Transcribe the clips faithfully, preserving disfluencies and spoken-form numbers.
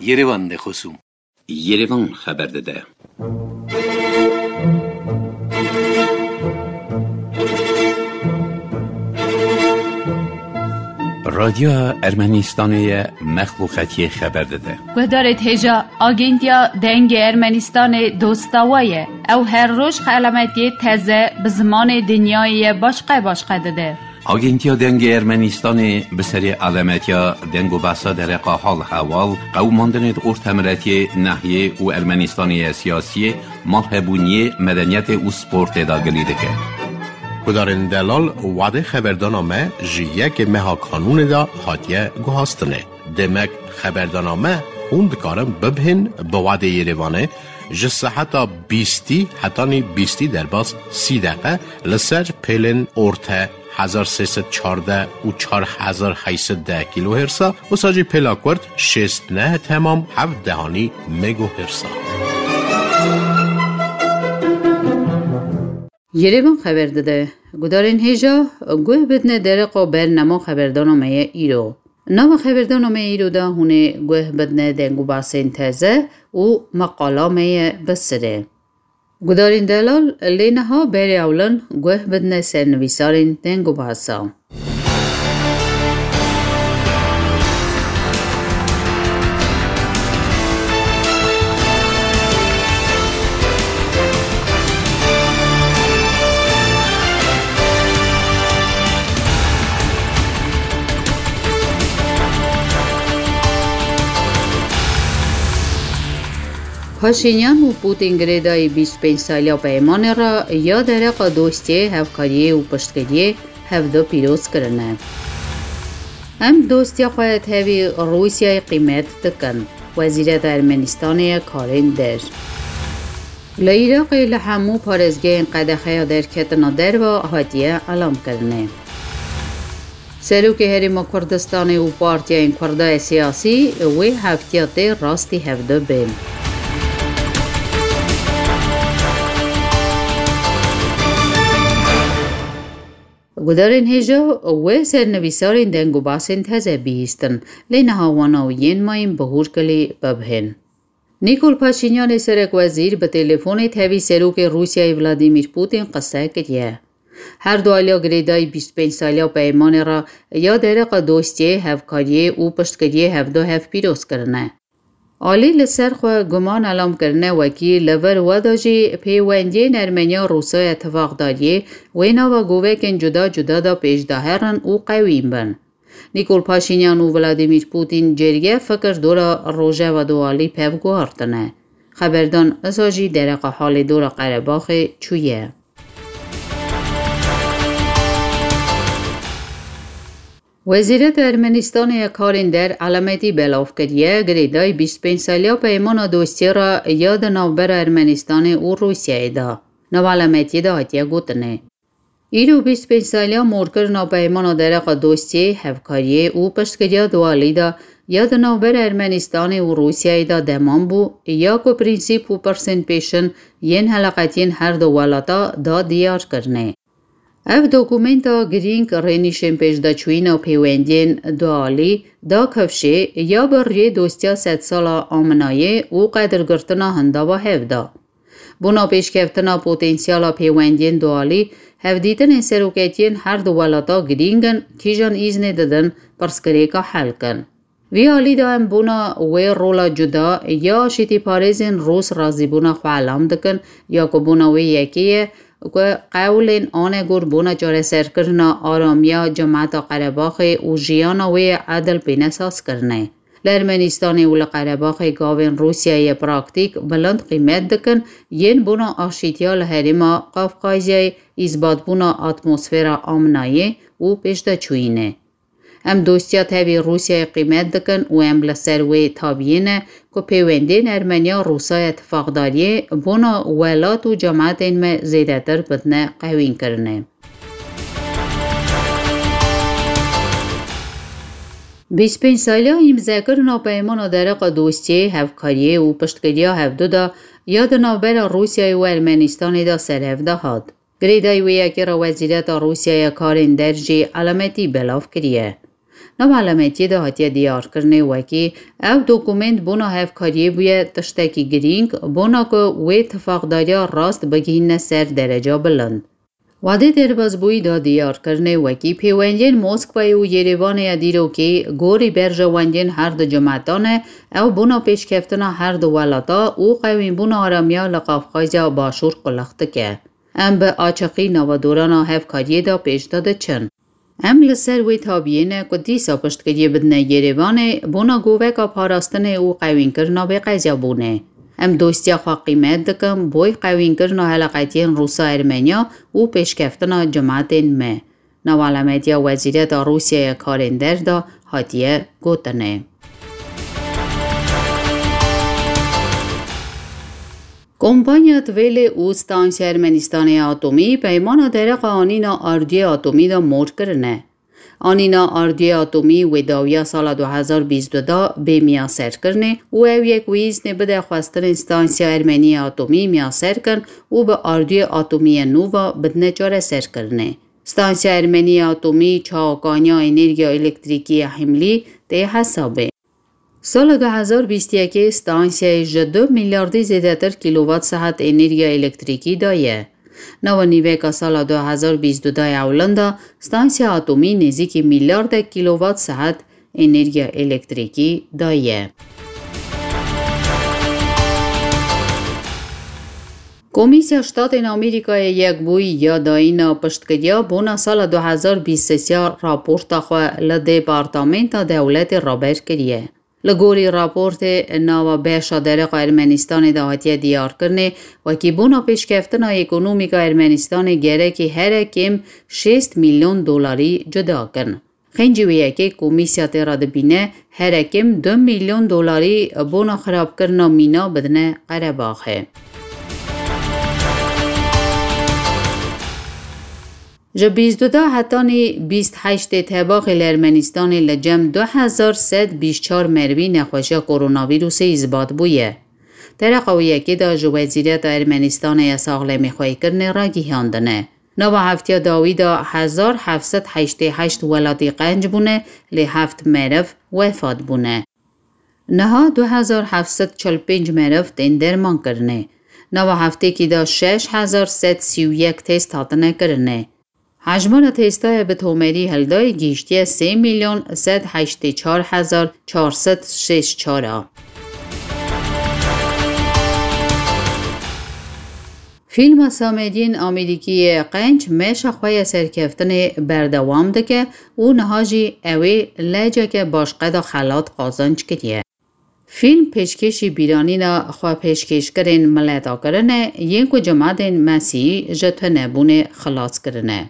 Yerevan de xosûm. Yerevan xeber dide. Radyoya Ermenistanê ye, mexluqetiyê xeber dide. Guhdarê hêja, Agentiya Dengê Ermenistanê dosta we ye. Ew her roj xelametiyê teze bi zimanê dinyayê ye başqe başqe dide. Agentiya Dengê Ermenistanê bi serê alemetiya deng û behsa dereqa hal hewal, qewimandinê di ortemiretiyê, nehiyê û Ermenistanê ye siyasiyê, malhebûniyê, medeniyetê û sportê de gilî dike. Gudarên delal, wadê xeberdana me ji yekê meha kanûnê de hatiye guhastinê. Demek xeberdana me hûn dikarin bibihên bi wadê Yerevanê ji seheta bîstî hetanî bîstî derbas sî deqe li ser pêlên orte hezar sê sed çardeh û çar hezar heyt sed deh kîlohêrsa, wisa jî pêla kurt şêst neh temam heft dehanî megohêrsa. Yerevan xeber dide, gudarên hêja guh bidine dereqa bernama xeberdana me ye îro. Nava xeberdana me îro de hûn ê guh bidine deng û basên teze û meqala me ye bi sirê. Gudarên delal, lê niha berê ewlin guh bidine sernivîsarên deng û basa. Paşînyan û Pûtîn girêdayî bîst pênc saliya peymanê re ya dereqa dostiyê, hevkariyê û piştgiriyê hevdu pîroz kirine. Em dostiya xwe ya tevî Rûsyayê qîmet dikin, Wezîreta Ermenistanê ya Karên Der. Li Iraqê li hemû parêzgehên qedexeya derketina derve hatiye elamkirinê. Serokê Herêma Kurdistanê û partiyayên Kurda ya siyasî wê heftiya tê rastî hevdu bên. Gudarên hêja wê sernivîsarên deng û basên teze bihîstin, lê niha wana û yên mayîn bi hûrkilî bibihên. Nîkol Paşînyanê serekwezîr bi telefonê tevî serokê Rûsyayê Vladîmîr Pûtîn qise kiriye. Her du aliya girêdayî bîst pênc saliya peymanê re ya dereqa dostiyê, hevkariyê û piştgiriyê hevdu hev pîroz kirine. Alî li ser xwe guman elam kirine wekî li vir we de jî pêwendiyên Ermeniya Rûsa ya tifaqdariyê wê nava govekên cuda cuda de pêş de herin û qewîn bin. Nîkol Paşînyan û Vladîmîr Pûtîn cêrgê fikir dora rojeva dualî pev guhartine. Xeberdan isa jî dereqa halê dora Qerebaxê çûye. Wezîreta Ermenistanê ya Karên Der elemetî belav kiriye, girêdayî bîst pênc saliya peymana dostiyê re ya di navbera Ermenistanê û Rûsyayê de. Nav elemetiyê de hatiye gotinê. Îro bîst pênc saliya morkirina peymana dereqa dostiyê, hevkariyê û piştgiriya dualî de ya di navbera Ermenistanê û Rûsyayê de deman bû, ya ku prînsîp û pirsên pêşin yên heleqetiyên her du welata da diyar kirine. Ev dokumenta girîng rênîşên pêşdeçûyîna pêwendiyên dualî da kifşê ya bi riyê dostiya sedsala aminayê û qedirgirtina hindava hev da. Bona pêşkeftina potensiyala pêwendiyên dualî, hevdîtinên seroketiyên her du welata girîng in, kîjan îznê didin pirsgirêka hel kin. Vî alî de em bona wê rola cuda ya aşîtîparêzên Rûs razîbûna xwe elam dikin, ya ku bona wê yekê ye ku qewlên anegor bona çareserkirina aramiya cemata Qerebaxê û jiyana wê ya edil bîne sazkirine. Li Ermenistanê û li Qerebaxê gavên Rûsyayê praktîk bilind qîmet dikin, yên bona aşîtiya li herêma Qafqazyayê, îsbatbûna atmosfera aminayê û pêşdeçûyînê. Em dostiya tevî Rûsyayê qîmet dikin û em li ser wê tabiyê ne ku pêwendiyên Ermeniya Rûsaya tifaqdariyê bona welat û cematên me zêdetir bidine qewînkirinê. Bîst pênc saliya îmzekirina peymana dereqa dostiyê, hevkariyê û piştgiriya hevdu de ya di navbera Rûsyayê û Ermenistanê de serhev de hat. Girêdayî wê yekê re Wezîreta Rûsyaya Karên Der jî elemetî belav kiriye. Nava elemetiyê de hatiye diyarkirinê wekî ev dokumênt bona hevkariyê bûye tiştekî girîng, bona ku wê tifaqdariya rast bigihîne ser dereca bilind. Wadê derbazbûyî da diyarkirinê wekî pêwendiyên Moskwayê û Yerêvanê ya dîrokê gorî berjewendiyên her du cimetan e, ew bona pêşkeftina her du welata û qewînbûna aramiya li Qafqazya Başûr qulix dike. Em bi açiqî nava dorana hevkariyê de pêş de diçin. Em li ser wê tabiyê ne ku dîsa piştgiriyê bidine Yerêvanê bona goveka parastinê û qewînkirina bêqezabûnê. Em dostiya xwe qîmet dikin, boy qewînkirina heleqetiyên Rûsa-Ermeniya û pêşkeftina cimetên me. Nava elemetiya Wezîreta Rûsyaya Karên Der de hatiye gotinê. Kompanya Tvêlê û Stansiya Ermenistanê ya Atomî peymana dereqa anîna ardiyê atomî de mor kirine. Anîna ardiyê atomî wê dawiya sala du hezar bîst û du de bê miyaserkirinê û ew yek wê îznê bide xwestinên Stansiya Ermenî ya Atomî miyaser kin û bi ardiyê atomî ya nû ve bidine çareserkirinê. Stansiya Ermenî ya Atomî çawa kaniya enerjiya elektrîkî ya Himlî tê hesabê. Sala du hezar bîst û yekê stansiyayê ji du milyardî zêdetir kîlowat saet enerjiya elektrîkî daye. Nava nîveka sala du hezar bîst û du ya ewlin de stansiya atomî nêzîkî milyardek kîlowat saet enerjiya elektrîkî daye. Komîsya Ştatên Amerîkayê Yekbûyî ya dayîna piştgiriya bona sala du hezar bîst û sê raporta xwe li Departamenta Dewletê raber kiriye. Li gorî raportê nava beşa dereqa Ermenistanê de hatiye diyarkirinê, wekî bona pêşkeftina ekonomîka Ermenistanê gerekî here kêm şêst milyon dolarî cuda kin. Xêncî wê yekê komîsya tê re dibîne here kêm du milyon dolarî bona xirabkirina mîna bidine Qerebaxê. Ji bîst û du hetanî bîst heştê Tebaxê li Ermenistanê li cem du hezar sed bîst çar merivî nexweşiya koronavîrusê îsbat bûye. Dereqa wê yekê de ji Wezîreta Ermenistanê ya Saxlemîxweykirinê ragihandine. Nava heftiya dawî de hezar heft sed heştê heşt welatî qenc bûne, lê heft meriv wefat bûne. Niha du hezar heft sed çil pênc meriv tên dermankirinê. Nava heftekî de şeş hezar sed sî û yek test hatine kirinê. Hejmara testaya bi tomerî hildayê gihîştiye sê milyon sed heştê çar hezar çar sed şêst çar a. Fîlma Samediyên Amerîkî yê Qenc meşa xwe ya serkeftinê berdewam dike û niha jî ew ê leceke başqeda xelat qazanc kiriye. Fîlm pêşkêşî bîranîna xwepêşkêşkirên mileta kirine yên ku cimadên Mesîhî ji tunebûnê xilas kirine.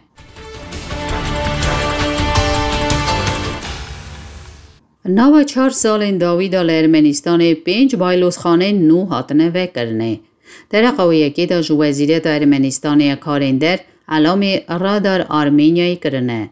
Nava çar salên dawî de li Ermenistanê pênc baylozxanên nû hatine vekirinê. Dereqa wê yekê de ji Wezîreta Ermenistanê ya Karên Der elamê Radar Armeniayê kirine.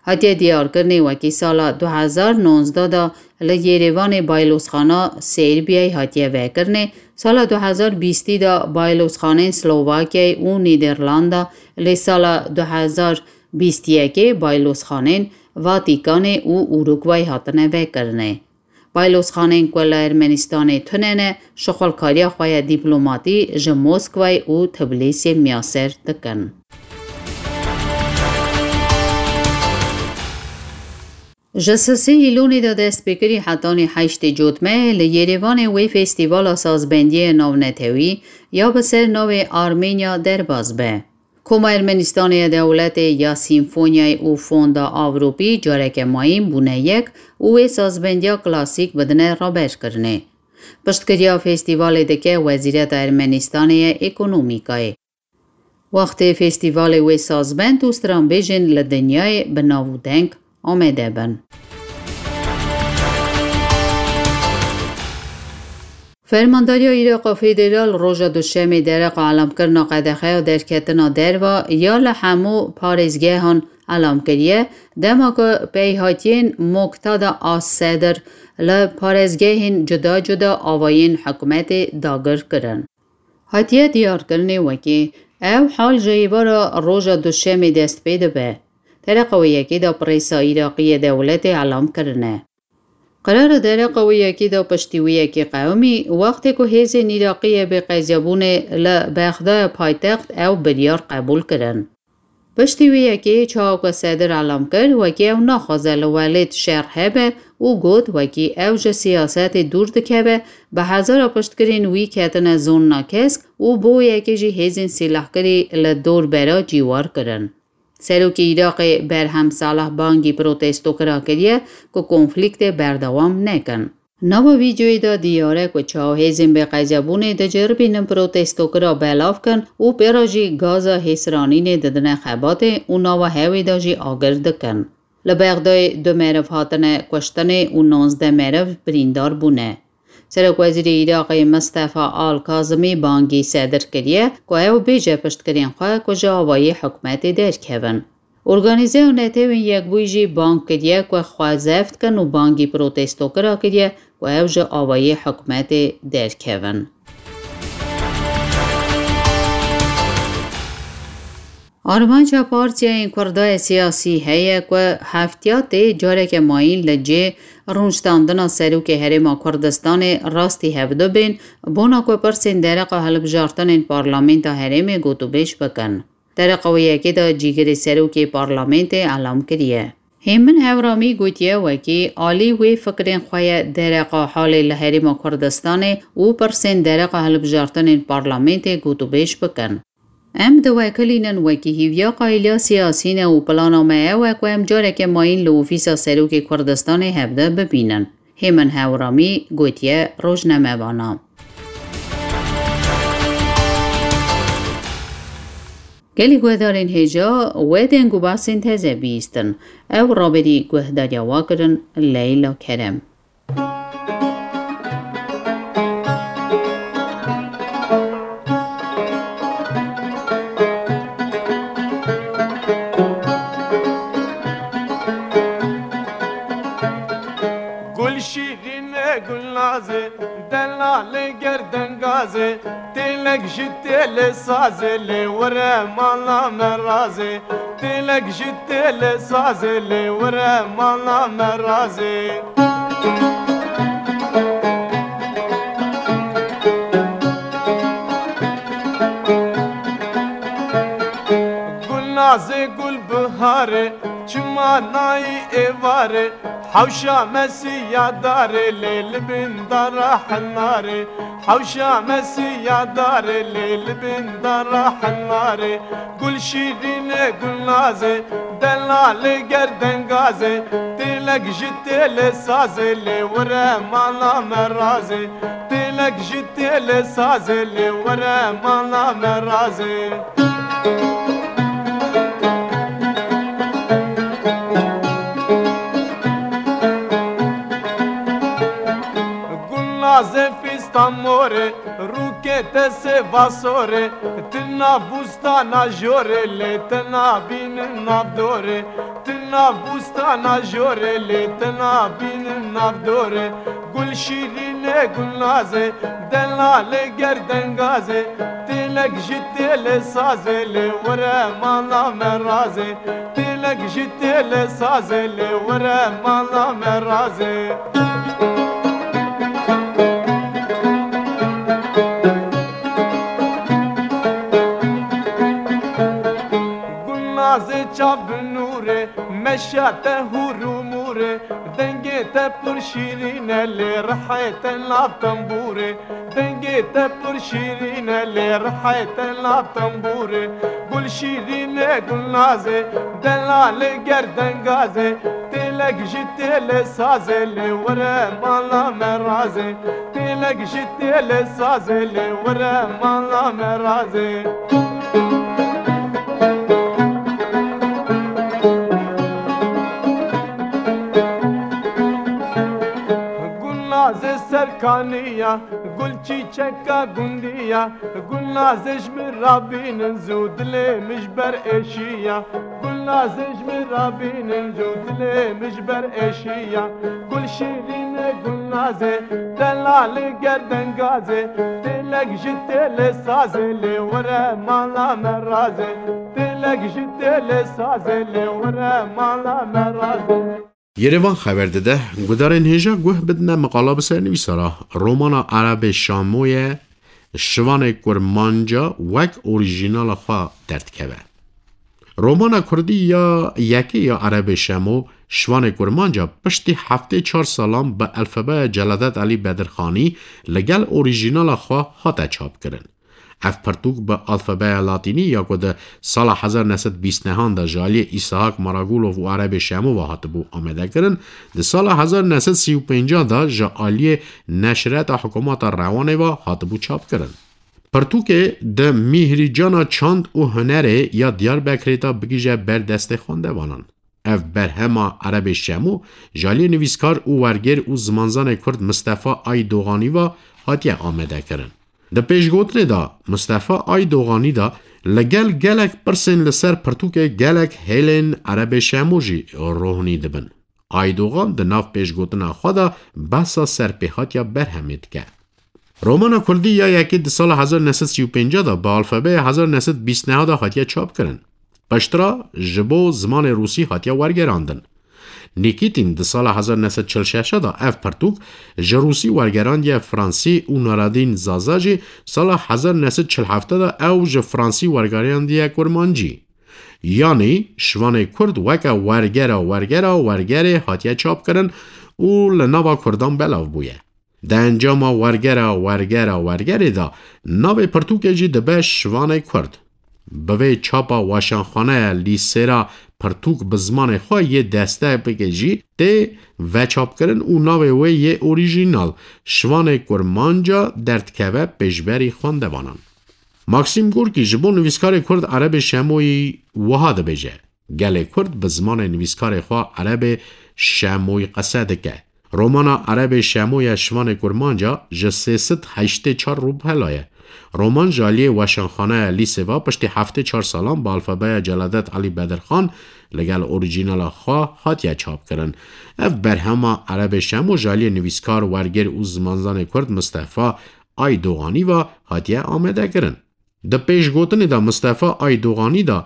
Hatiye diyarkirinê wekî sala du hezar nonzdeh de li Yerêvanê baylozxana Serbiyayê hatiye vekirinê, sala du hezar bîstî de baylozxanên Slovakyayê û Nîderlanda, lê sala du hezar bîst û yekê baylozxanên Vatîkanê û Urugway hatine vekirinê. Baylozxanên ku li Ermenistanê tune ne, şixulkariya xwe ya dîplomatî ji Moskwayê û Tbilîsê miyaser dikin. Ji sisê Îlonê de destpêkirî hetanî heştê Cotmehê li Yerêvanê wê festîvala sazbendiyê navnetewî ya bi ser navê Armenya derbas be. Koma Ermenistanê ya dewletê ya Sîmfonyayê û Fonda Avropî careke mayîn bûne yek û wê sazbendiya klasîk bidine raberkirinê. Piştgiriya festîvalê dike Wezîreta Ermenistanê ya Ekonomîkayê. Wextê festîvalê wê sazbend û stranbêjên li dinyayê bi nav û deng amede bin. Fermandariya Îraqa Federal roja Duşemê dereqa elamkirina qedexeya derketina derva ya li hemû parêzgehan elam kiriye, dema ku peyhatiyên Muqtada as-Sedr li parêzgehên cuda cuda avayên hikûmetê dagir kirin. Hatiye diyarkirinê wekî ev hal ji êvara roja Duşemê dest pê dibe. Dereqa wê yekê de prêsa Îraqî yê dewletê elam kirine. Qerara dereqa wê yekê de piştî wê yekê qewimî, wextê ku hêzên Îraqî yê bêqezabûnê li Bexdayê paytext ew biryar qebûl kirin. Piştî wê yekê çawa ku Sedir elam kir, wekî ew naxwaze li welêt şer hebe û got, wekî ew ji siyasetê dûr dikeve, bi hezara piştgirên wî ketine zonna kesk û bo yekê jî hêzên sîlehkirî li dor bera cîwar kirin. Serokê Iraqê Berhem Salih bangî protestokira kiriye ku konflîktê berdewam nekin. Nava vîdeoyê de diyar e ku çawa hêzên bêqezabûnê diceribînin protestokira belav kin û pê re jî gaza hêsranînê didine xebatê û nava hewê de jî agir dikin. Li Bexdayê du meriv hatine kuştinê û nonzdeh meriv birîndar bûne. Serokwezîrê Iraqê Mistefa Al Kazimî bangî Sedir kiriye ku ew bêje piştgirên xwe ku ji avayî hikûmetê derkevin. Organîzeya Netewên Yekbûyî jî bang kiriye ku xwe zeft kin û bangî protestokira kiriye ku ew ji avayî hikûmetê derkevin. Armanca partiyayên Kurda yê siyasî heye ku heftiya tê careke mayîn li cê rûniştandina serokê Herêma Kurdistanê rastî hevdu bên, bona ku pirsên dereqa hilbijartinên parlamenta herêmê gotûbêj bikin. Dereqa wê yekê de cîgirê serokê parlamentê elam kiriye. Hêmin Hewramî gotiye, wekî alî wê fikrên xwe ye dereqa halê li Herêma Kurdistanê û pirsên dereqa hilbijartinên parlamentê gotûbêj bikin. Em diwekilînin wekî hîviya qayîliya siyasî ne û plana me ew e ku em careke mayîn li ofîsa serokê Kurdistanê hevde bibînin. Hêmin Hewramî gotiye rojnamevana. Gelî guhdarên hêja, we deng û behsên teze bihîstin. Ew raberî guhdariya we kirin Leyla Kerem. Gul şîrîn e, gul naz e, delal e, gerdengaz e, têlek ji têlê saz e, lê were mala me razê. Têlek ji têlê saz e, lê were mala me razê. Gul naz e, gul bihar e, çima nayî êvar e, hewşa me siya dar e, lê li bin dara henar e. Hewşa me siya dar e, lê li bin dara henar e. Gul şîrîn e, gul naz e, delal e, gerdengaz e, têlek ji têlê saz e, lê were mala me razê. Têlek ji têlê saz e, lê were mala me razê. Gul naz e, fîsta mor e, rûkê te sêva sor e, tu nav bûstana jor e, lê te nabînin nav dor e. Tu nav bûstana jor e, lê te nabînin nav dor e. Gul şîrîn e, gul naz e, delal e, gerdengaz e, têlek ji têlê saz e, lê were mala me razê. Têlek ji têlê saz e, lê were mala me razê. Gul naz e, çav bi nûr e, meşa te hûr û mûr e, dengê te pir şîrîn e, lê rihê te nav tembûr e. Dengê te pir şîrîn e, lê rihê te nav tembûr e. Gul şîrîn e, gul naz e, delal e, gerdengaz e, têlek ji têlê saz e, lê were mala me razê. Têlek ji têlê saz e, lê were mala me razê. Gul naz e, serkaniya, gul çîçeka gundiya, gul naz e, ji min rabînin zû, dilê min ji ber êşiya. Gul Nazê ji min re bînin, cûtilê min ji ber eşiya. Gul şîrîne, gul nazê, delal ger dengazê. Têlek ji têlê sazê, lê were mala me razê. Têlek ji têlê sazê, lê were mala me razê. Yerevan xeber dide, gudarên hêja guh bidine miqala bi sernivîsa re. Romana Erebê Şamoye Şivanê Kurmanca wek orîjînala xwe derdikeve. Romana kurdî ya yekê ya Erebê Şemo, Şivanê Kurmanca, piştî heftê çar salan bi alfabeya Celadet Elî Bedirxanî li gel orîjînala xwe hate çapkirin. Ev pirtûk bi alfabeya latînî ya ku di sala hezar neh sed bîst nehan de ji aliyê Îshak Maragulov û Erebê Şemo ve hatibû amadekirin, di sala hezar neh sed sî û pênc de ji aliyê Neşreta Hikûmeta Rewanê ve hatibû çapkirin. Pirtûkê di Mîhrîcana Çand û Hunerê ya Diyarbekirê de bigihîje ber destê xwendevanan. Ev berhema Erebê Şemo ji aliyê nivîskar û wergêr û zimanzanê kurd Mistefa Aydoganî ve hatiye amadekirin. Di pêşgotinê de Mistefa Aydoganî de li gel gelek pirsên li ser pirtûkê gelek hêlên Erebê Şemo jî rohnî dibin. Aydogan di nav pêşgotina xwe de behsa serpêhatiya berhemê dike. Romana kurdî ya yekê di sala hezar neh sed sî û pênc de bi alfabeya hezar neh sed bîst neh de hatiye çapkirin. Piştre ji bo zimanê rûsî hatiye wergerandin. Nîkîtîn di sala hezar neh sed çil şeş de ev pirtûk ji rûsî wergerandiye fransî û Naradîn Zaza jî sala hezar neh sed çil heft de ew ji fransî wergerandiye kurmancî. Yanî şivanê kurd weke wergera wergera wergerê hatiye çapkirin û li nava kurdan belav bûye. Di encama wergera wergera wergerê de navê pirtûkê jî dibe Şivanê Kurd. Bi vê çapa weşanxaneya lîsêra pirtûk bi zimanê xwe yê destebikê jî tê veçapkirin û navê wê yê orîjînal Şivanê Kurmanca derdikeve pêşberî xwendevanan. Maxîm Gorkî ji bo nivîskarê kurd Erebê Şemoyî wiha dibêje, gelê kurd bi zimanê nivîskarê xwe Erebê Şemoyî qese dike. Romana Erebê Şemo ya Şivanê Kurmanca ji sê sed heştê çar rûpela ye. Roman ji aliyê weşanxaneya lîsê ve piştî heftê çar salan bi alfabeya Celadet Elî Bedirxan li gel orîjînala xwe hatiye çapkirin. Ev berhema Erebê Şemo ji aliyê nivîskar, wergêr û zimanzanê kurd Mistefa Aydoganî ve hatiye amadekirin. Di pêşgotinê de Mistefa Aydoganî de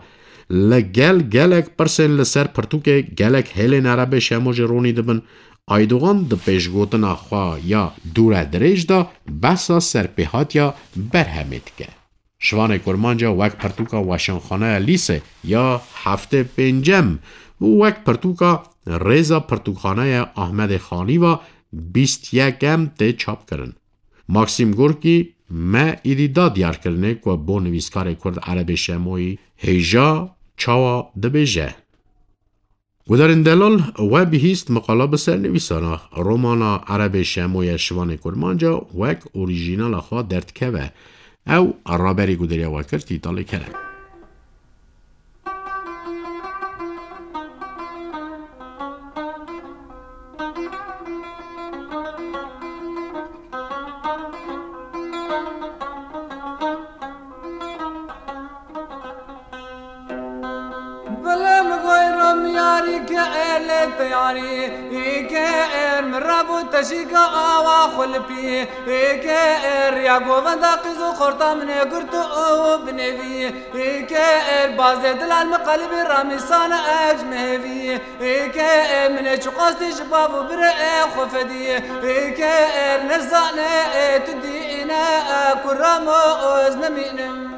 li gel gelek pirsên li ser pirtûkê gelek hêlên Erebê Şemo jî ronî dibin. Aydogan di pêşgotina xwe ya dûredirêj de behsa serpêhatiya berhemê dike. Şivanê Kurmanca wek pirtûka weşanxaneya lîsê ya heftê pêncem û wek pirtûka Rêza Pirtûkxaneya Ahmedê Xanî ve bîst yekem tê çapkirin. Maxîm Gorkî me êdî da diyarkirinê ku bo nivîskarê kurd Erebê Şemoyî hêja çawa dibêje. Gudarên delal, we bihîst miqala bi sernivîsana romana Erebê Şemoye Şivanê Kurmanca wek orîjînala xwe derdikeve. Ew raberî guderiya we kir Tîtalê Kerem. Bilim goyrom yarî ke ele teyarî, ke er mi rabu teşîka awa xulpî, ke er ya govenda qiz û xorta min ê girtu û binêvî. Ê ke er bazê dilal mi qelbê ramîsane ec mehevî. Ê ke e min ê çiqastî ji bav û birê e xwe fedî. Ê ke er nezane e tu dîne e kuramo oz nemînim.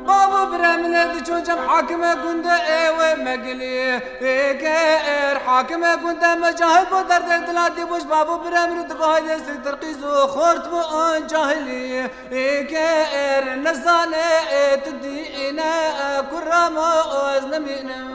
Bavo bire min e diço cem hakime gunde ewe megili. Eke er hakime gunde me cahil bo derde dila dibuş bavo bire min e digo hayde siktir qizu xort bu on cahili. Eke er nezane e tu dîne e kuramo oz nemînim.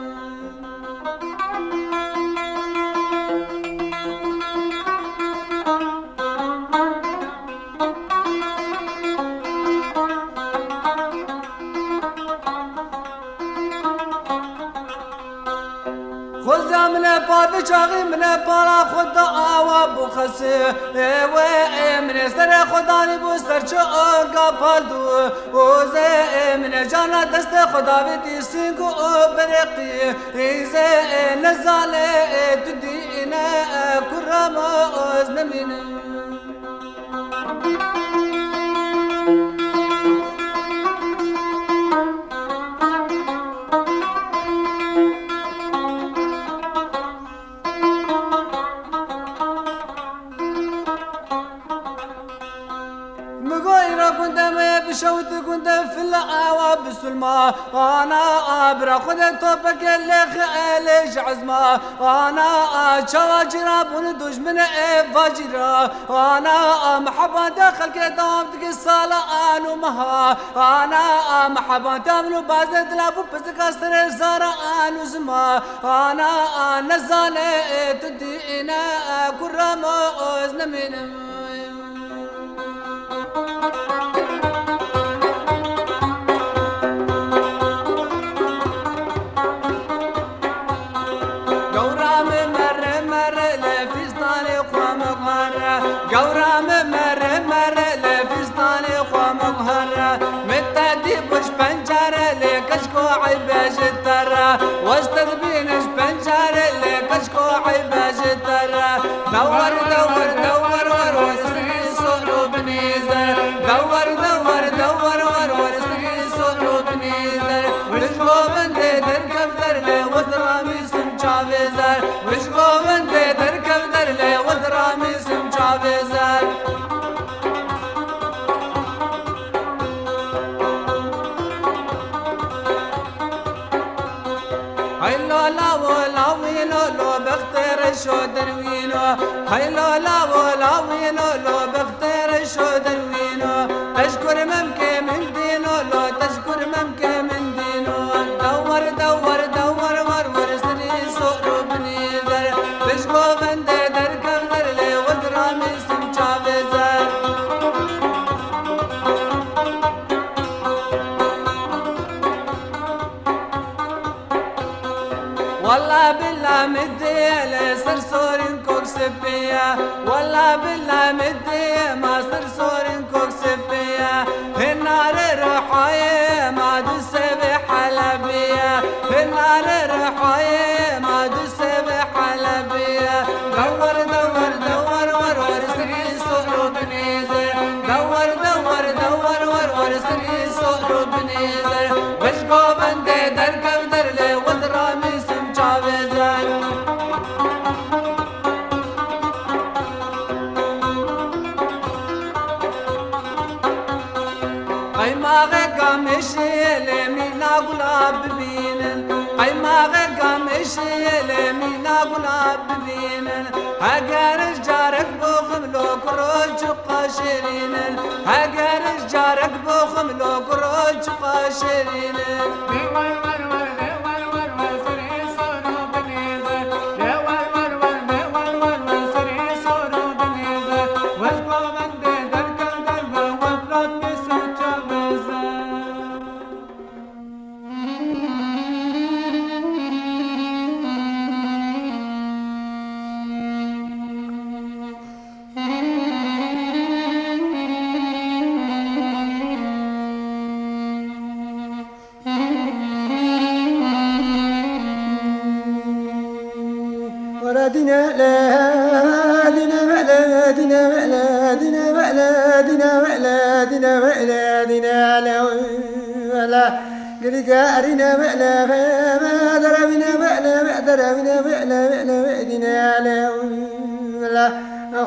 Çaxî min e pala xwe da awa bû xesê. Ê wê ê min ê serê xwe danî bû ser çi onga pal dû. Ozê ê min ê cana destê xwe davêtî sîng û bereqî. Îzê ê nezanê ê tu dîne e kurama oz nemînin. Migo îro gundê me ye, bişewit gundê fila awa bisulma. Ana a bira xwe de topeke lêxe elê ji ezma. Ana a çawa cîra bûn dojmine ê vacîra. Ana a meheba de xelkê dewam dike sala an û meha. Ana a meheba de min û bazê dila bû pizika serê zara an û zima. Ana a nezane ê tu dîne e kurama oz nemînim. Gewra min mere mere lê fîstanê xwe min xware. Gewra min mere mere lê fîstanê xwe min xware. Min te dî bû ji pencere lê keşko eybe ji te re. Wez te dibîne ji pencere lê keşko eybe ji te re. Dewar, dewar, dewar, war, war, sirî sor û binî zer. Dewar, dewar, dewar, war, war, sirî sor û binî zer. Wij govindê derkev der lê wez ramîsim çavê zer. Wij govindê derkev der lê wez ramîsim çavê zer. Hey lo lawo lawîno lo bextê reşo derwîno. Hey lo lawo lawîno lo bextê reşo derwîno. Teşkur memkê min dîno lo teşkur memkê min dîno. Dewar dewar dewar war war sirî sor û binî zer. Pişt govindê derkev der lê wez ramîsim çavê zer. Walla billa min dê lê ser sorîn kok spî ye. Walla billa min dê ma ser sorîn kok spî ye. Hinare ruhayê ma du sevê Helebî ye. Hinare ruhayê ma du sevê Helebî ye. Dewar dewar dewar war war sirî sor û binî zer. Dewar dewar dewar war war sirî sor û binî zer. Wij govindê derkev der lê wez ramîsim çavê zer. Qeymaxê gamêşê lê mîna gula bibînin. Qeymaxê gamêşê lê mîna gula bibînin. Heger ji carek boxim lo kuro çiqa şêrînin. Heger ji carek boxim lo kuro çiqa şêrînin.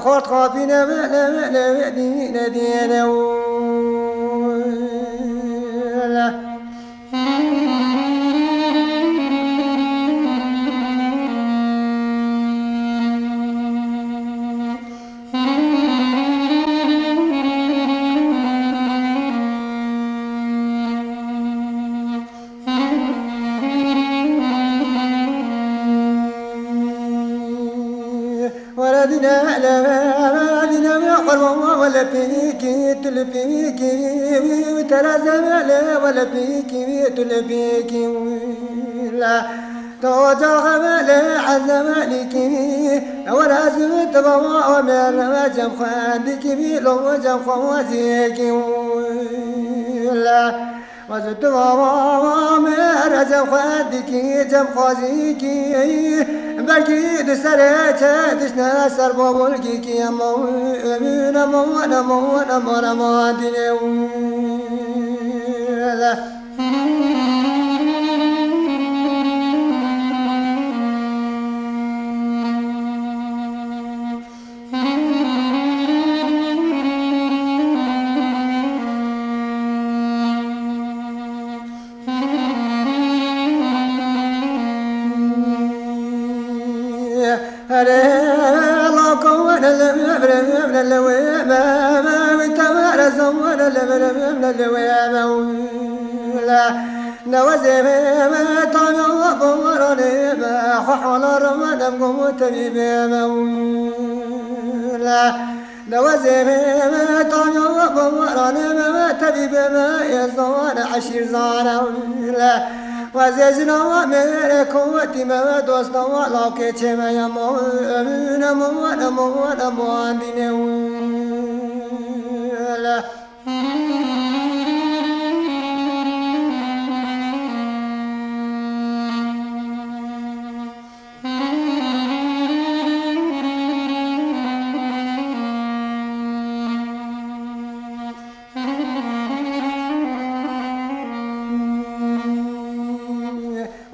Xort xapîne Wele dîne, wele, wele dîne, wele pîkî, tu li pîkî, wî, wî, wî, teraze, wele, wele pîkî, wî, tu li pîkî, wî, la. Toca xevelê ezemelikivi, ewer ez û tu baba Omer, cem xwendikî vî lo cem xwaziyekî wila. Ez û tu baba Omer, cem xwendikî, cem xwaziyekî, belkî di serê çe dişne ser babulkî ki ema, ema, ema, ema, ema, ema, dîne wila. Newezê me, tanya bawaranê me, tebîbê me, êzan, eşîrzan, wezê jina me, mêrê kowetî me, dosta we, lawkê çê me, emo, emo, emo, emo, emo, dînê wila.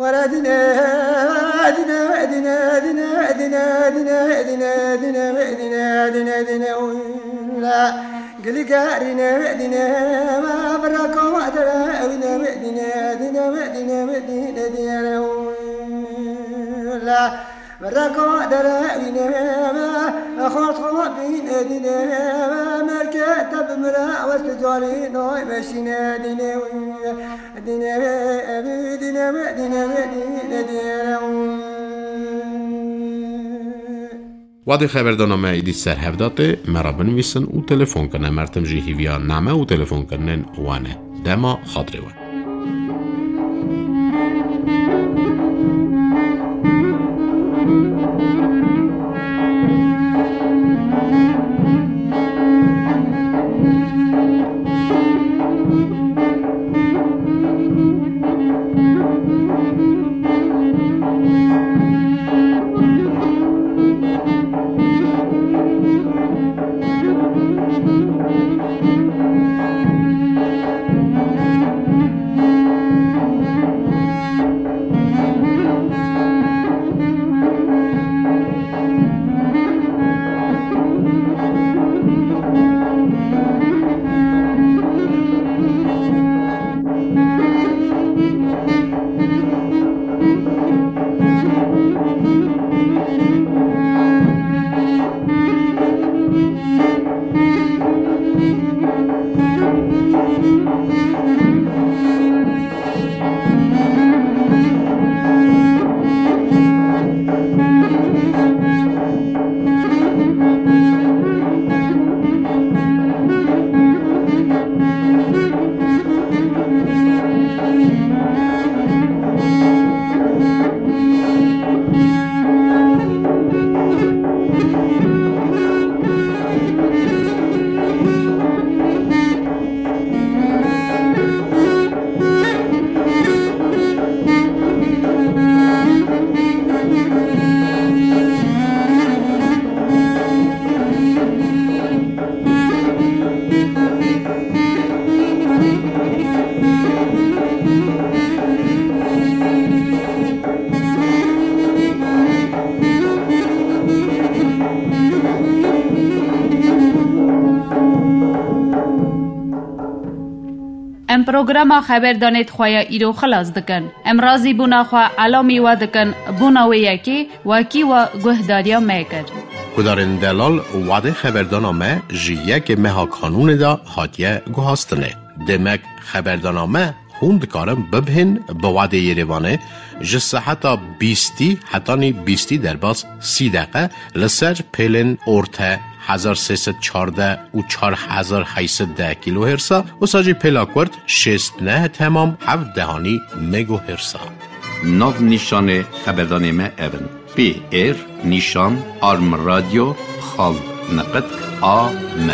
Were dîne, dîne, dîne, dîne, dîne, dîne, wila. Gilî gerîne, dîne, ma bira koma dere, wîne, dîne, dîne, dîne, dîne, dîne, wila. Reka dere wîne, xort xo bîne dîne, merke te bimire, west carî noy meşîne dîne, dîne, dîne, dîne, dîne, dîne. Wadê xeberdana me êdî ser hev de tê, me re binivîsin û telefon kine. Mertim jî hîviya name û telefonkirinên wan e. Dema xatirê we. Em programa xeberdanê di xwe ya îro xilas dikin. Em razîbûna xwe elamî we dikin, bona wê yekê wekî we guhdariya me kir. Guhdarên delal, wadê xeberdana me ji yekê meha Kanûnê de hatiye guhastinê. Demek xeberdana me hûn dikarin bibihên bi wadê Yerêvanê ji seheta bîstî hetanî bîstî derbas sî deqe li ser pêlên orte hezar sê sed çardeh û çar hezar heyt sed deh kîlohêrsa, wisa jî pêla kurt şêst neh temam heft dehanî megohêrsa. Nav nîşanê xeberdanê me ev in: P R nîşan arm radio xal neqet a m.